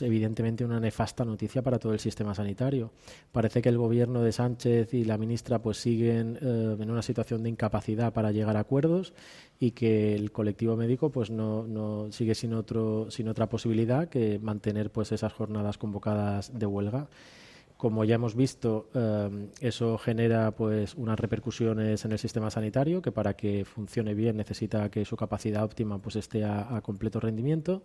evidentemente una nefasta noticia para todo el sistema sanitario. Parece que el gobierno de Sánchez y la ministra pues siguen en una situación de incapacidad para llegar a acuerdos y que el colectivo médico pues no sigue sin otra posibilidad que mantener pues esas jornadas convocadas de huelga. Como ya hemos visto, eso genera pues unas repercusiones en el sistema sanitario que para que funcione bien necesita que su capacidad óptima pues esté a completo rendimiento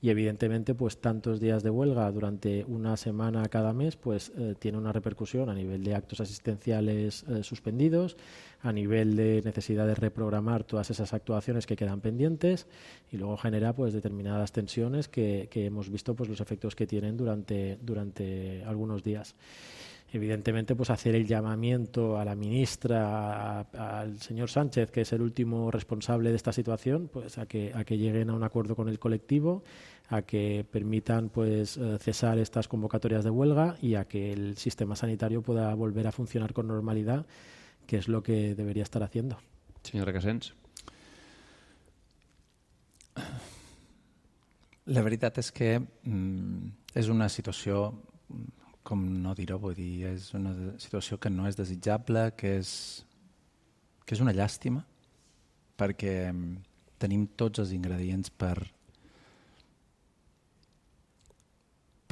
y evidentemente pues tantos días de huelga durante una semana cada mes pues tiene una repercusión a nivel de actos asistenciales suspendidos, a nivel de necesidad de reprogramar todas esas actuaciones que quedan pendientes y luego genera pues determinadas tensiones que hemos visto pues los efectos que tienen durante algunos días. Evidentemente, pues hacer el llamamiento a la ministra, al señor Sánchez, que es el último responsable de esta situación, pues a que lleguen a un acuerdo con el colectivo, a que permitan pues cesar estas convocatorias de huelga y a que el sistema sanitario pueda volver a funcionar con normalidad, que es lo que debería estar haciendo. Señora Casens. La veritat és que és una situació, com no dir-ho, vull dir, és una situació que no és desitjable, que és una llàstima, perquè tenim tots els ingredients per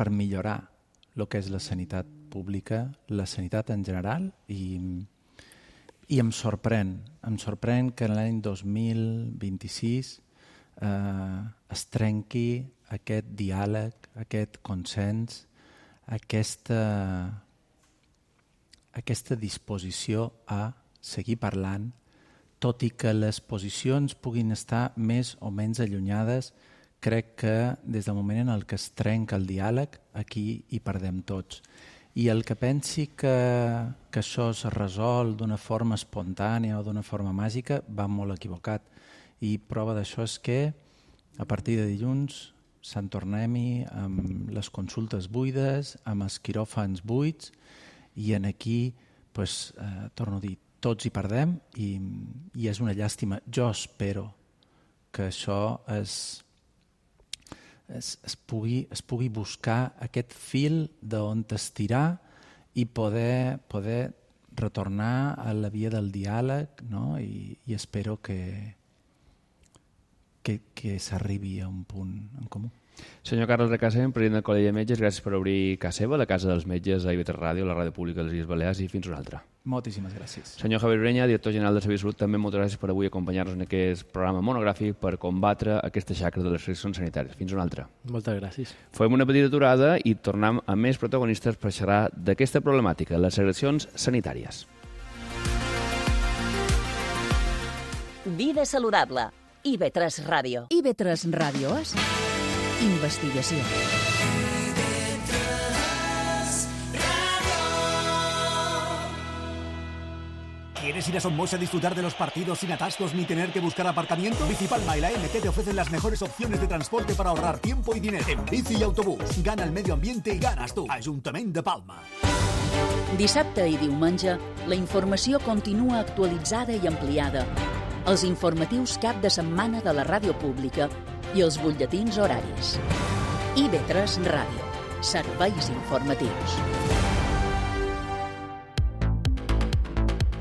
millorar el que és la sanitat pública, la sanitat en general, i em sorprèn que l'any 2026 es trenqui aquest diàleg, aquest consens, aquesta disposició a seguir parlant, tot i que les posicions puguin estar més o menys allunyades, crec que des del moment en el que es trenca el diàleg, aquí hi perdem tots. I el que pensi que això es resol d'una forma espontània o d'una forma màgica va molt equivocat. I prova d'això és que a partir de dilluns se'n tornem-hi amb les consultes buides, amb els quiròfans buits, i en aquí, torno a dir, tots hi perdem i és una llàstima. Jo espero que això es pugui buscar aquest fil d'on estirar i poder retornar a la via del diàleg, no? I espero que s'arribi a un punt en comú. Senyor Carles Recasem, president del Col·legi de Metges, gràcies per obrir casa seva, la Casa dels Metges a IB3 Ràdio, la ràdio pública de les Illes Balears, i fins una altra. Moltíssimes gràcies. Senyor Javier Ureña, director general de Servei de Salut, també moltes gràcies per avui acompanyar-nos en aquest programa monogràfic per combatre aquesta xacra de les restriccions sanitàries. Fins una altra. Moltes gràcies. Fem una petita aturada i tornem a més protagonistes per xerrar d'aquesta problemàtica, les segregacions sanitàries. Vida saludable. IB3 Ràdio. IB3 Ràdio és investigació. ¿Quieres ir a Somos a disfrutar de los partidos sin atascos ni tener que buscar aparcamiento? Bicipalma y la MT te ofrecen las mejores opciones de transporte para ahorrar tiempo y dinero. En bici y autobús. Gana el medio ambiente y ganas tú. Ajuntament de Palma. Dissabte i diumenge, la informació continua actualitzada i ampliada. els informatius cap de setmana de la ràdio pública i els butlletins horaris. IB3 Ràdio. Serveis informatius.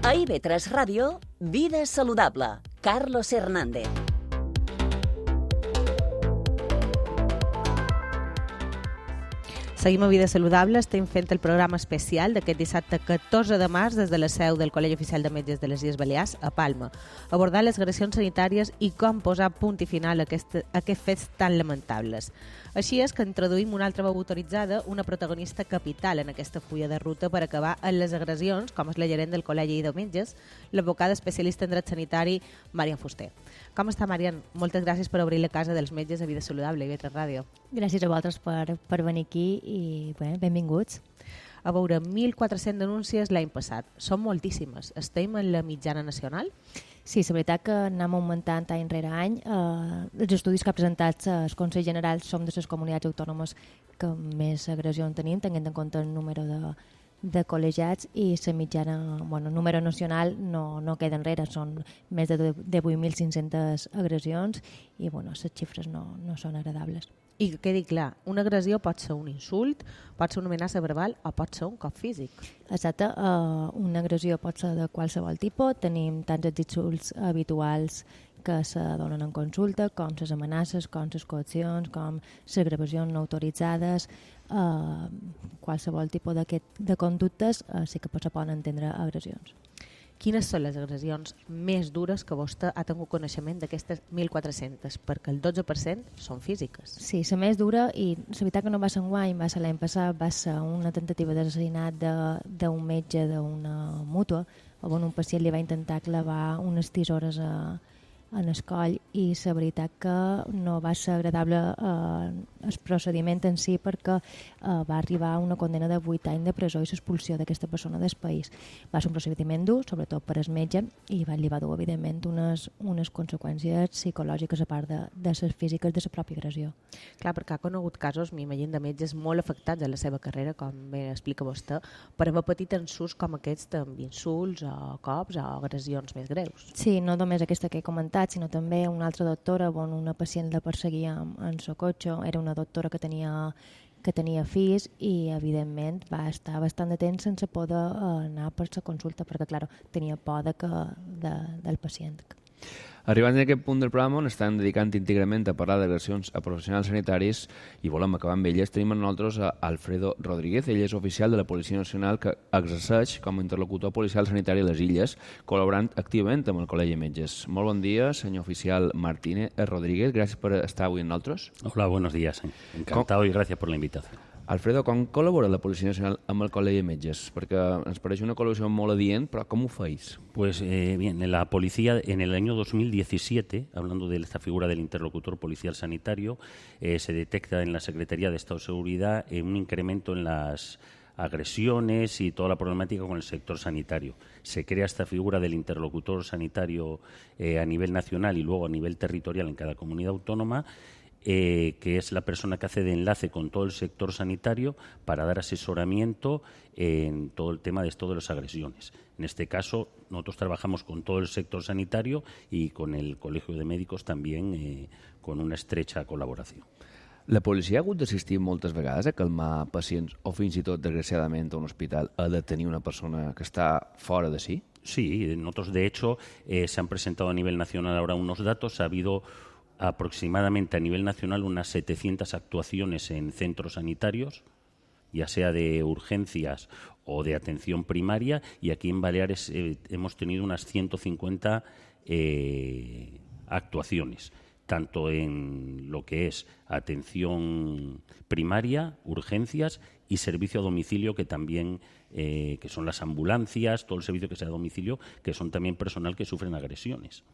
A IB3 Ràdio, Vida Saludable. Carlos Hernández. Seguim a Vida Saludable, estem fent el programa especial d'aquest dissabte 14 de març des de la seu del Col·legi Oficial de Metges de les Illes Balears a Palma, abordant les agressions sanitàries i com posar punt i final a aquests fets tan lamentables. Així és que introduïm una altra veu autoritzada, una protagonista capital en aquesta fulla de ruta per acabar amb les agressions, com és la gerent del Col·legi de Metges, l'advocada especialista en dret sanitari, Marian Fuster. Com està, Marian? Moltes gràcies per obrir la casa dels metges a Vida Saludable i IB3 Ràdio. Gràcies a vosaltres per venir aquí i bé, benvinguts. A veure, 1.400 denúncies l'any passat. Són moltíssimes. Estem en la mitjana nacional? Sí, la veritat que anem augmentant any rere any. Els estudis que ha presentat el Consell General som de les comunitats autònomes que més agressions tenim, tenint en compte el número de col·legiats, i la mitjana, el número nacional no queda enrere, són més de 8.500 agressions i les xifres no són agradables. I que quedi clar, una agressió pot ser un insult, pot ser una amenaça verbal o pot ser un cop físic. Exacte, una agressió pot ser de qualsevol tipus. Tenim tants els insults habituals que se donen en consulta, com les amenaces, com les coaccions, com les gravacions no autoritzades. Qualsevol tipus de conductes sí que se poden entendre agressions. Quines són les agressions més dures que vostè ha tingut coneixement d'aquestes 1.400? Perquè el 12% són físiques. Sí, la més dura, i la veritat que no va ser enguany, va ser l'any passat, va ser una tentativa d'assassinat d'un metge d'una mútua, on un pacient li va intentar clavar unes tisores en el coll, i la veritat que no va ser agradable el procediment en si, perquè va arribar a una condena de 8 anys de presó i l'expulsió d'aquesta persona del país. Va ser un procediment dur, sobretot per al metge, i li va dur, evidentment, unes conseqüències psicològiques a part de les físiques de la pròpia agressió. Clar, perquè ha conegut casos, m'imagino, de metges molt afectats a la seva carrera, com bé explica vostè, per haver patit ensurts com aquests amb insults o cops o agressions més greus. Sí, no només aquesta que he comentat, sinó també una altra doctora on una pacient la perseguia en el cotxe. Era una doctora que tenia fills i, evidentment, va estar bastant de temps sense poder anar per la consulta perquè, clar, tenia por del pacient. Arribant a aquest punt del programa on estan dedicant íntegrament a parlar d'agressions a professionals sanitaris i volem acabar amb elles, tenim amb nosaltres a Alfredo Rodríguez. Ell és oficial de la Policia Nacional que exerceix com a interlocutor policial sanitari a les Illes, col·laborant activament amb el Col·legi de Metges. Molt bon dia, senyor oficial Martínez Rodríguez. Gràcies per estar avui amb nosaltres. Hola, buenos días. Encantado y gracias por la invitación. Alfredo, com col·labora la Policia Nacional amb el Col·legi de Metges? Perquè ens pareix una col·laboració molt adient, però com ho feis? Pues bien, la policía en el año 2017, hablando de esta figura del interlocutor policial sanitario, se detecta en la Secretaría de Estado de Seguridad un incremento en las agresiones y toda la problemática con el sector sanitario. Se crea esta figura del interlocutor sanitario a nivel nacional y luego a nivel territorial en cada comunidad autónoma, que es la persona que hace de enlace con todo el sector sanitario para dar asesoramiento en todo el tema de esto de las agresiones. En este caso, nosotros trabajamos con todo el sector sanitario y con el Colegio de Médicos también con una estrecha col·laboració. La policia ha hagut d'assistir moltes vegades a calmar pacients o fins i tot, desgraciadament, a un hospital ha de tenir una persona que està fora de sí? Sí, nosotros de hecho se han presentado a nivel nacional ahora unos datos. Ha habido aproximadamente a nivel nacional unas 700 actuaciones en centros sanitarios, ya sea de urgencias o de atención primaria, y aquí en Baleares hemos tenido unas 150 actuaciones, tanto en lo que es atención primaria, urgencias y servicio a domicilio, que también que son las ambulancias, todo el servicio que sea a domicilio, que son también personal que sufren agresiones.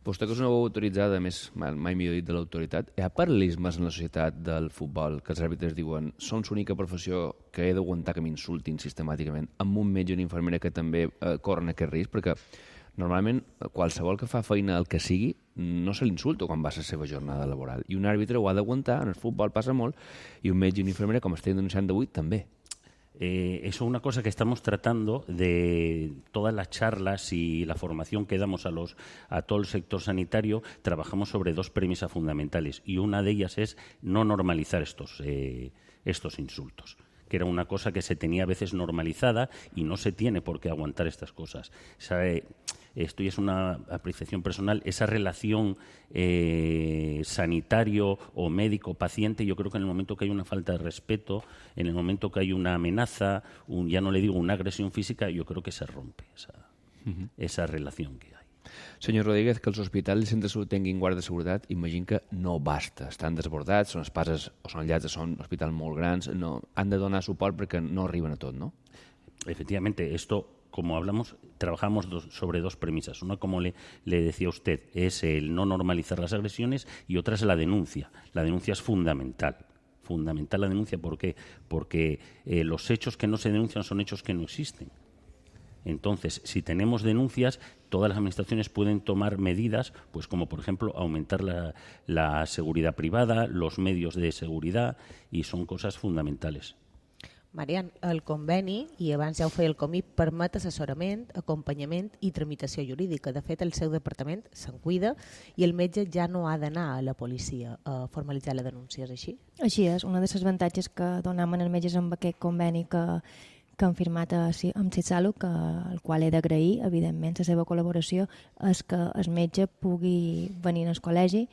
Vostè, que és una veu autoritzada, més mai millor dit, de l'autoritat, hi ha paral·lelismes en la societat del futbol que els àrbitres diuen som l'única professió que he d'aguantar que m'insultin sistemàticament, amb un metge i una infermera que també corren aquest risc? Perquè normalment qualsevol que fa feina el que sigui no se l'insulta quan va a la seva jornada laboral, i un àrbitre ho ha d'aguantar. En el futbol passa molt, i un metge i una infermera, com estem denunciant d'avui, també. Eso es una cosa que estamos tratando de todas las charlas y la formación que damos a todo el sector sanitario. Trabajamos sobre dos premisas fundamentales y una de ellas es no normalizar estos insultos, que era una cosa que se tenía a veces normalizada y no se tiene por qué aguantar estas cosas. Esto ya es una apreciación personal, esa relación sanitario o médico-paciente, yo creo que en el momento que hay una falta de respeto, en el momento que hay una amenaza, ya no le digo una agresión física, yo creo que se rompe esa relación que hay. Senyor Rodríguez, que els hospitals i centres de salut tinguin guarda de seguretat, imagino que no basta. Estan desbordats, són espases o són llars, són hospitals molt grans, no, han de donar suport perquè no arriben a tot, ¿no? Efectivamente, esto, como hablamos, trabajamos sobre dos premisas. Una, como le decía usted, es el no normalizar las agresiones y otra es la denuncia. La denuncia es fundamental. Fundamental la denuncia, ¿por qué? Porque los hechos que no se denuncian son hechos que no existen. Entonces, si tenemos denuncias, todas las administraciones pueden tomar medidas, pues como por ejemplo aumentar la seguridad privada, los medios de seguridad, y son cosas fundamentales. Marian, el conveni, i abans ja ho feia el COMIP, permet assessorament, acompanyament i tramitació jurídica. De fet, el seu departament se'n cuida i el metge ja no ha d'anar a la policia a formalitzar la denúncia, és així? Així és, una de les avantatges que donaven els metges amb aquest conveni que han firmat amb CitySalut, al qual he d'agrair, evidentment, la seva col·laboració, és que el metge pugui venir al col·legi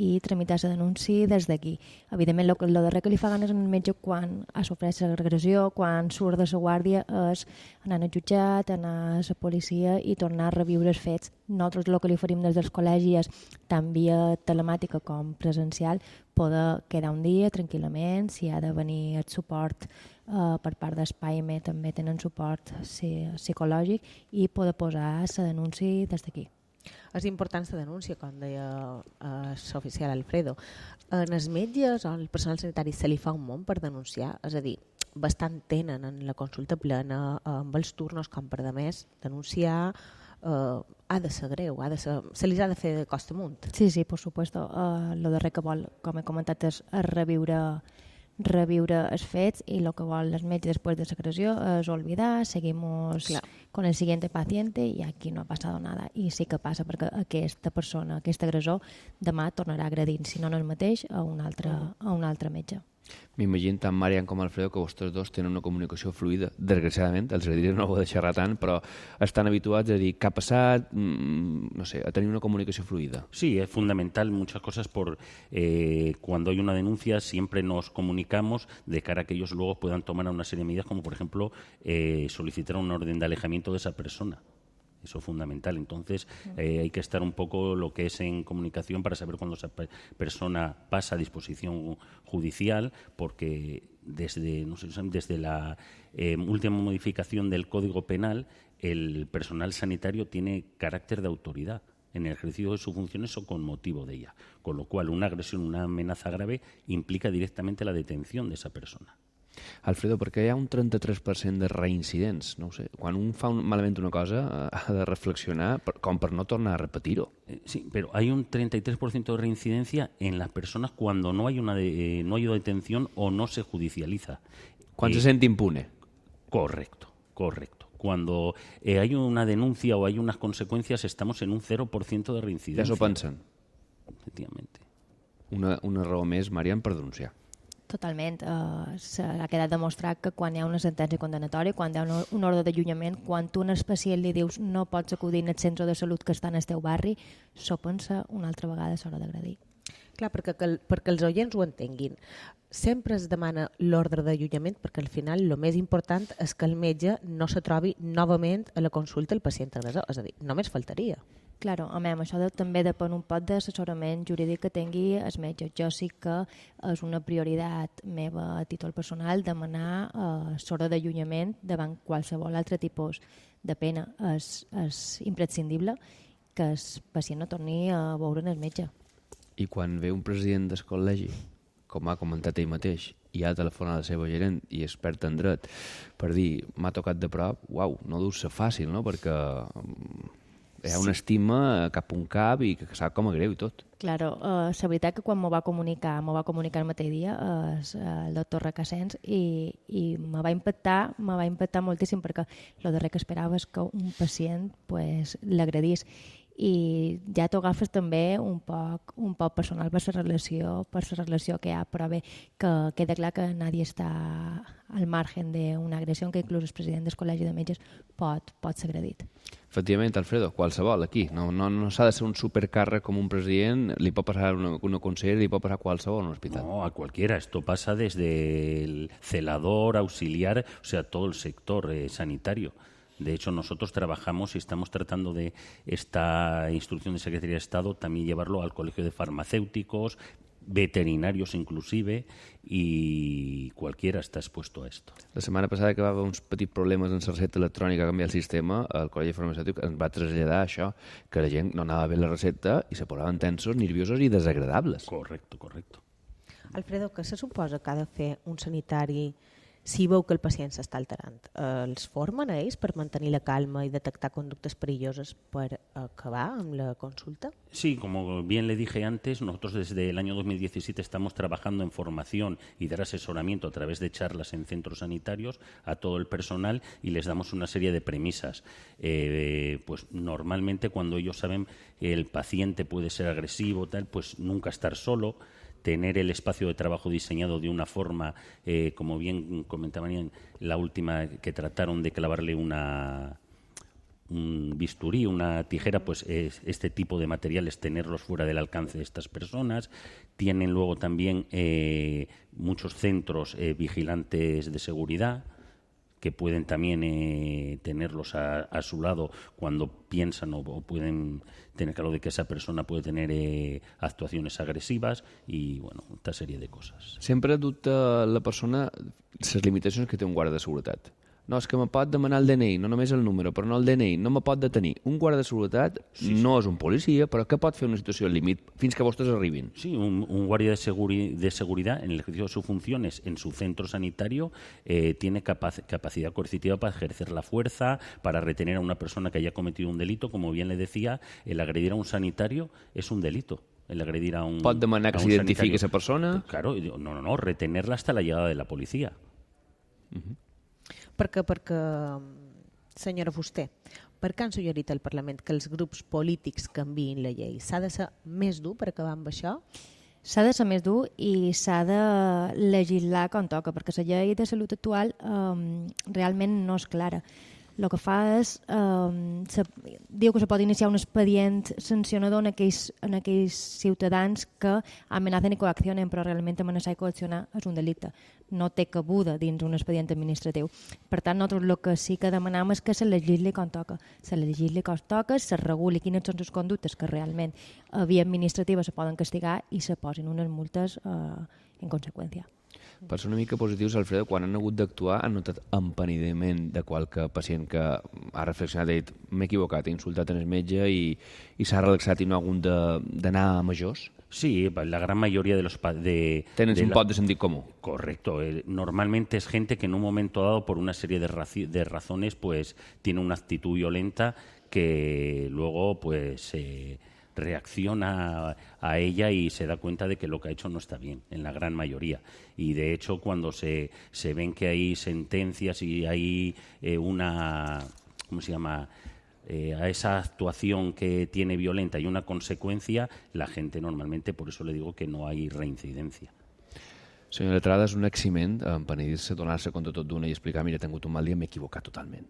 i tramitar la denúncia des d'aquí. Evidentment, el darrer que li fa ganes al metge quan ha sofert l'agressió, quan surt de la guàrdia, és anar al jutjat, anar a la policia i tornar a reviure els fets. Nosaltres el que li oferim des dels col·legis, tant via telemàtica com presencial, poder quedar un dia tranquil·lament, si ha de venir el suport per part d'Espaime, també tenen suport psicològic, i poder posar la denúncia des d'aquí. És important la denúncia, com deia l'oficial Alfredo. En els metges o el personal sanitari se li fa un món per denunciar? És a dir, bastant tenen en la consulta plena, amb els turnos com per de més, denunciar ha de ser greu, se li ha de fer de costa amunt. Sí, per supuesto. El darrer que vol, com he comentat, és reviure els fets, i el que vol el metge després de l'agressió és olvidar, seguimos con el siguiente paciente y aquí no ha pasado nada. I sí que passa, perquè aquesta persona, aquest agressor, demà tornarà agredint, si no el mateix, a un altre metge. M'imagino tant Marian com Alfredo que vostès dos tenen una comunicació fluida. Desgraciadament, els agradaria no ho de xerrar tant, però estan habituats a dir què ha passat, no sé, a tenir una comunicació fluida. Sí, es fundamental muchas cosas. Cuando hay una denuncia siempre nos comunicamos de cara a que ellos luego puedan tomar una serie de medidas, como por ejemplo solicitar un orden de alejamiento de esa persona. Eso es fundamental. Entonces hay que estar un poco lo que es en comunicación para saber cuándo esa persona pasa a disposición judicial, porque desde la última modificación del Código Penal, el personal sanitario tiene carácter de autoridad en el ejercicio de sus funciones o con motivo de ella. Con lo cual, una agresión, una amenaza grave implica directamente la detención de esa persona. Alfredo, perquè hi ha un 33% de reincidents, no ho sé. Quan un fa malament una cosa ha de reflexionar com per no tornar a repetir-ho. Sí, pero hay un 33% de reincidencia en las personas cuando no hay no hay detención o no se judicializa. Quan se sent impune. Correcto. Cuando hay una denuncia o hay unas consecuencias, estamos en un 0% de reincidencia. Ja s'ho pensen. Efectivamente. Una raó més, Marian, per denunciar. Totalment. S'ha quedat demostrat que quan hi ha una sentència condenatòria, quan hi ha un ordre d'allunyament, quan tu al pacient li dius no pots acudir al centre de salut que està en el teu barri, s'ho pensa una altra vegada a l'hora d'agredir. Clar, perquè els oients ho entenguin. Sempre es demana l'ordre d'allunyament perquè al final el més important és que el metge no se trobi novament a la consulta el pacient agressor. És a dir, només faltaria. Claro, això també depèn un poc d'assessorament jurídic que tingui el metge. Jo sí que és una prioritat meva a títol personal demanar l'ordre d'allunyament davant qualsevol altre tipus de pena. És imprescindible que el pacient no torni a veure el metge. I quan ve un president del col·legi, com ha comentat ell mateix, i ha telefonat a la seva gerent i expert en dret per dir m'ha tocat de prop, uau, no deu ser fàcil, no? Perquè Hi ha una estima cap a un cap i que sap com a greu i tot. Claro, la veritat que quan m'ho va comunicar el mateix dia el doctor Recassens i me va impactar moltíssim perquè el darrer que esperava és que un pacient pues, l'agredís i ja t'ho agafes també un poc personal per la relació que hi ha, però bé, que queda clar que nadie està al margen d'una agressió que inclús el president del Col·legi de Metges pot ser agredit. Efectivament, Alfredo, qualsevol aquí. No s'ha de ser un supercàrrec com un president, li pot passar una consellera, li pot passar a qualsevol en un hospital. No, a cualquiera. Esto pasa desde el celador, auxiliar, o sea, todo el sector sanitario. De hecho, nosotros trabajamos y estamos tratando de esta instrucción de Secretaría de Estado también llevarlo al Colegio de Farmacéuticos, veterinarios inclusive, y cualquiera está expuesto a esto. La setmana passada que va haver uns petits problemes en la recepta electrònica a canviar el sistema, el Col·legi Farmacèutic ens va traslladar això, que la gent no anava bé la recepta i se posaven tensos, nerviosos i desagradables. Correcto. Alfredo, què se suposa que ha de fer un sanitari si veu que el pacient s'està alterant? Els formen a ells per mantenir la calma i detectar conductes perilloses per acabar amb la consulta? Sí, como bien le dije antes, nosotros desde el año 2017 estamos trabajando en formación y dar asesoramiento a través de charlas en centros sanitarios a todo el personal y les damos una serie de premisas. Pues normalmente cuando ellos saben que el paciente puede ser agresivo, tal, pues nunca estar solo, tener el espacio de trabajo diseñado de una forma, como bien comentaban la última que trataron de clavarle un bisturí, una tijera, pues este tipo de materiales tenerlos fuera del alcance de estas personas. Tienen luego también muchos centros vigilantes de seguridad que pueden también tenerlos a su lado cuando piensan o pueden tener claro de que esa persona puede tener actuaciones agresivas y, bueno, esta serie de cosas. Sempre dubta la persona les limitacions que té un guarda de seguretat. No, és que me pot demanar el DNI, no només el número, però no el DNI, no me pot detenir. Un guarda de seguretat no és un policia, però què pot fer una situació al límit fins que vostès arribin? Sí, un guardia de seguridad en el ejercicio de sus funciones en su centro sanitario tiene capacidad coercitiva para ejercer la fuerza, para retener a una persona que haya cometido un delito. Como bien le decía, el agredir a un sanitario es un delito. El agredir a un Pot demanar que s'identifiqui esa persona? Claro, no, retenerla hasta la llegada de la policía. Perquè, senyora Fuster, per què han suggerit al Parlament que els grups polítics canviïn la llei? S'ha de ser més dur per acabar amb això? S'ha de ser més dur i s'ha de legislar com toca, perquè la llei de salut actual realment no és clara. El que fa és, diu que se pot iniciar un expedient sancionador en aquells ciutadans que amenacen i coaccionen, però realment amenaçar i coaccionar és un delicte. No té cabuda dins un expedient administratiu. Per tant, nosaltres el que sí que demanam és que se legisli com toca. Se legisli com toca, se reguli quines són les conductes que realment a via administrativa se poden castigar i se posin unes multes en conseqüència. Per ser una mica positius, Alfredo, quan han hagut d'actuar han notat empenediment de qualque pacient que ha reflexionat i ha dit m'he equivocat, he insultat en el metge i s'ha relaxat i no ha hagut d'anar a majors? Sí, la gran mayoría de los... Tenen un pot de sentit comú. Correcto. Normalmente es gente que en un momento dado, por una serie de razones, pues tiene una actitud violenta que luego pues reacciona a ella y se da cuenta de que lo que ha hecho no está bien, en la gran mayoría. Y de hecho, cuando se ven que hay sentencias y hay una... ¿Cómo se llama?, a esa actuación que tiene violenta y una consecuencia, la gente normalmente, por eso le digo que no hay reincidencia. Senyor Letrada, és un eximent empenedir-se, donar-se compte tot d'una i explicar mira, he tingut un mal dia, m'he equivocat totalment.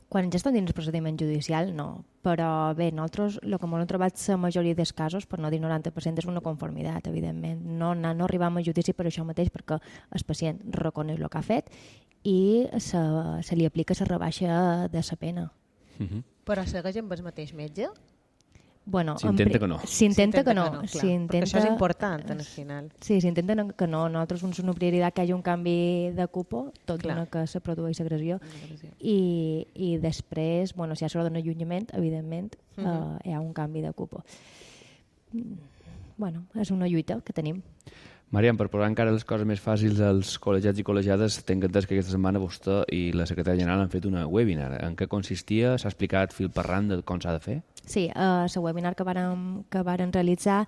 Quan ja estan dins el procediment judicial, no. Però bé, nosaltres el que hem trobat la majoria dels casos, per no dir 90%, és una conformitat, evidentment. No arribam a judici per això mateix, perquè el pacient reconeix el que ha fet i se li aplica la rebaixa de la pena. Però segueix amb el mateix metge? Bueno, s'intenta que no. S'intenta que no. Perquè això és important, al final. Sí, s'intenta que no. Nosaltres és una prioritat que hi hagi un canvi de cupo, tot d'una que se produeix agressió. I després, bueno, si hi ha sort d'un allunyament, evidentment, hi ha un canvi de cupo. Bueno, és una lluita que tenim. Mariam, per posar encara les coses més fàcils als col·legiats i col·legiades, tenc entès que aquesta setmana vostè i la secretària general han fet una webinar. En què consistia? S'ha explicat fil per randa com s'ha de fer? Sí, la webinar que varen realitzar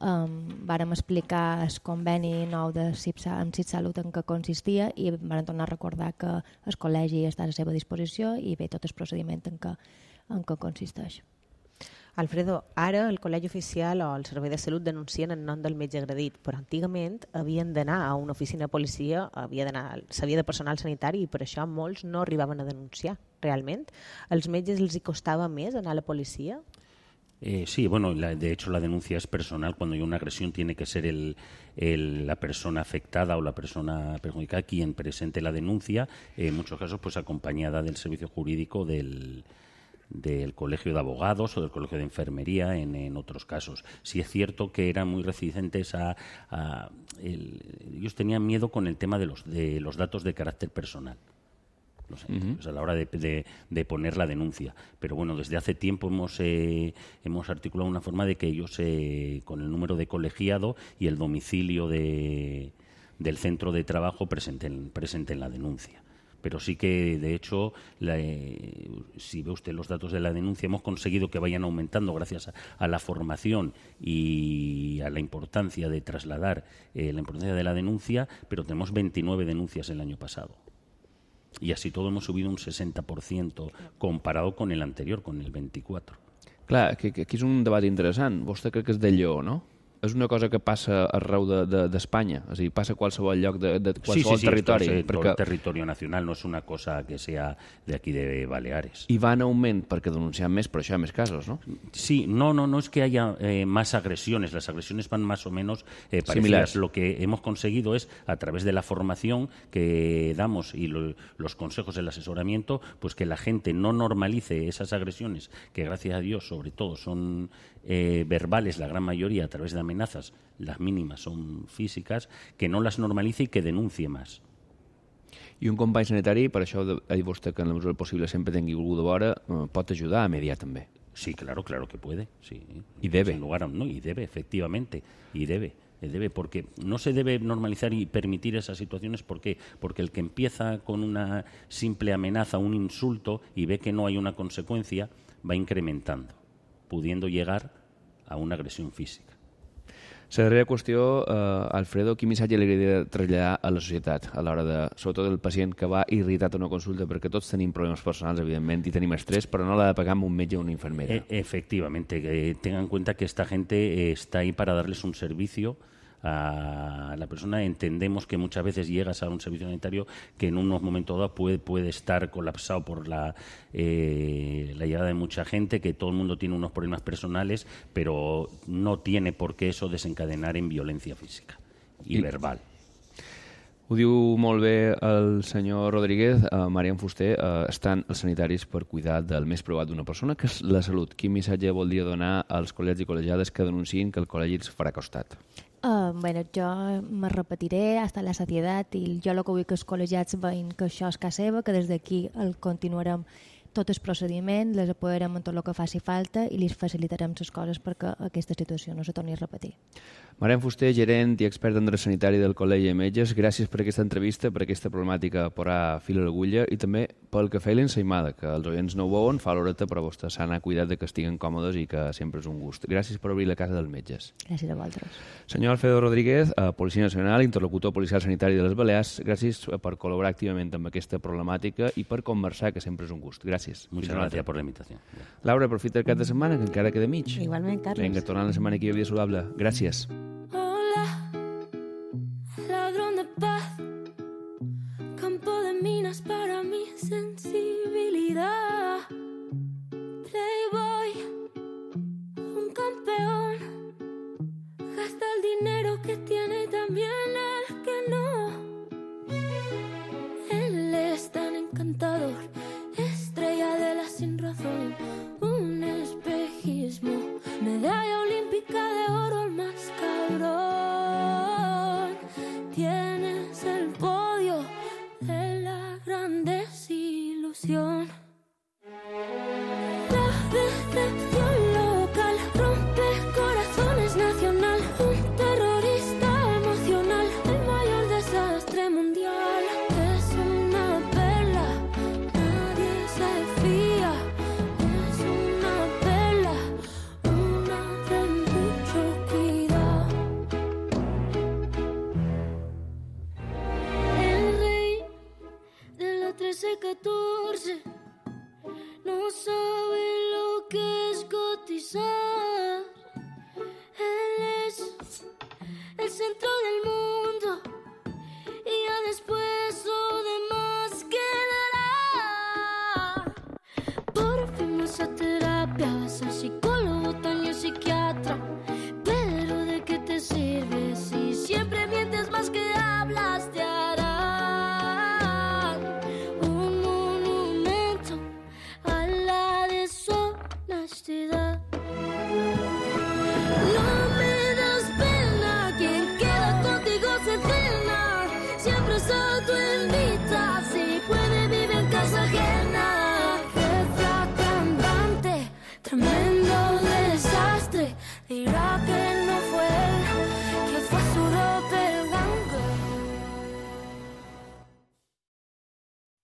vàrem explicar el conveni nou amb CIPSalut en què consistia i vàrem tornar a recordar que el col·legi està a la seva disposició i bé tot el procediment en què consisteix. Alfredo, ara el Col·legi Oficial o el Servei de Salut denuncien en nom del metge agredit, però antigament havien d'anar a una oficina de policia, s'havia de personal sanitari i per això molts no arribaven a denunciar realment. Als metges els hi costava més anar a la policia? Sí, bueno, de hecho la denuncia es personal. Cuando hay una agresión tiene que ser la persona afectada o la persona perjudicada quien presente la denuncia, en muchos casos pues acompañada del servicio jurídico del Colegio de Abogados o del Colegio de Enfermería en otros casos. Sí es cierto que eran muy reticentes ellos tenían miedo con el tema de los datos de carácter personal. A la hora de poner la denuncia. Pero bueno, desde hace tiempo hemos articulado una forma de que ellos, con el número de colegiado y el domicilio del centro de trabajo, presenten la denuncia. Pero sí que, de hecho, si ve usted los datos de la denuncia, hemos conseguido que vayan aumentando gracias a la formación y a la importancia de trasladar la importancia de la denuncia, pero tenemos 29 denuncias el año pasado. Y así todo hemos subido un 60% comparado con el anterior, con el 24%. Clar, aquí és un debat interessant. Vostè crec que és de Lleó, no? És una cosa que passa arreu d'Espanya, és a dir, passa a qualsevol lloc de qualsevol territori. Sí, todo el territorio nacional, no es una cosa que sea de aquí de Baleares. I va en augment perquè denuncian més, però això hi ha més casos, no? Sí, no es que haya más agresiones, las agresiones van más o menos parecidas. Similares. Lo que hemos conseguido es, a través de la formación que damos y los consejos, el asesoramiento, pues que la gente no normalice esas agresiones, que gracias a Dios, sobre todo, son verbales, la gran mayoría, a través de amenazas, las mínimas son físicas, que no las normalice y que denuncie más. I un company sanitari, per això ha dit vostè que en la mesura possible sempre tingui algú de vora, pot ajudar a mediar també. Sí, claro que puede. Sí. Y debe. Y debe, efectivamente, y debe. Porque no se debe normalizar y permitir esas situaciones. ¿Por qué? Porque el que empieza con una simple amenaza, un insulto, y ve que no hay una consecuencia, va incrementando, pudiendo llegar a una agresión física. La darrera qüestió, Alfredo, quin missatge li agradaria traslladar a la societat a l'hora de, sobretot el pacient que va irritat a una consulta, perquè tots tenim problemes personals, evidentment, i tenim estrès, però no l'ha de pagar amb un metge o una infermera. Efectivamente, tengan en cuenta que esta gente está ahí para darles un servicio a la persona. Entendemos que muchas veces llegas a un servicio sanitario que en unos momentos dados puede estar colapsado por la llegada de mucha gente, que todo el mundo tiene unos problemas personales, pero no tiene por qué eso desencadenar en violencia física y verbal. Ho diu molt bé el senyor Rodríguez. Mariam Fuster, estan els sanitaris per cuidar del més provat d'una persona, que és la salut. Quin missatge voldria donar als col·legis i col·legiades que denunciïn que el col·legi els farà costat? Bueno, jo me repetiré hasta la satiedad i jo el que vull que els col·legiats veïn que això és casa seva, que des d'aquí el continuarem tot el procediment, les apoyarem en tot el que faci falta i les facilitarem les coses perquè aquesta situació no se torni a repetir. Mariam Fuster, gerent i expert en dret sanitari del Col·legi de Metges, gràcies per aquesta entrevista, per aquesta problemàtica posar fil a l'agulla i també pel cafè i l'ensaïmada, que els oients no ho veuen, fa l'horeta, però vostè s'ha anat cuidat de que estiguen còmodes i que sempre és un gust. Gràcies per obrir la casa dels metges. Gràcies a vosaltres. Senyor Alfredo Rodríguez, Policia Nacional, interlocutor policial sanitari de les Balears, gràcies per col·laborar activament amb aquesta problemàtica i per conversar, que sempre és un gust. Gràcies. Muchas gracias por la invitación. Laura, aprofita el cap de setmana, que encara queda mig. Igualment, Carlos. Vinga, tornant la setmana aquí a Vida Saludable. Gràcies. Hola, ladrón de paz, campo de minas para mi sensibilidad. Playboy, un campeón, gasta el dinero que tiene y también el que no. Él es tan encantador, estrella de la sin razón, un espejismo, medalla olímpica de oro, el más cabrón. Tienes el podio de la gran desilusión. La decepción local rompe corazones nacional, un terrorista emocional. 13, 14, no sabe lo que es cotizar. Él es el centro del mundo.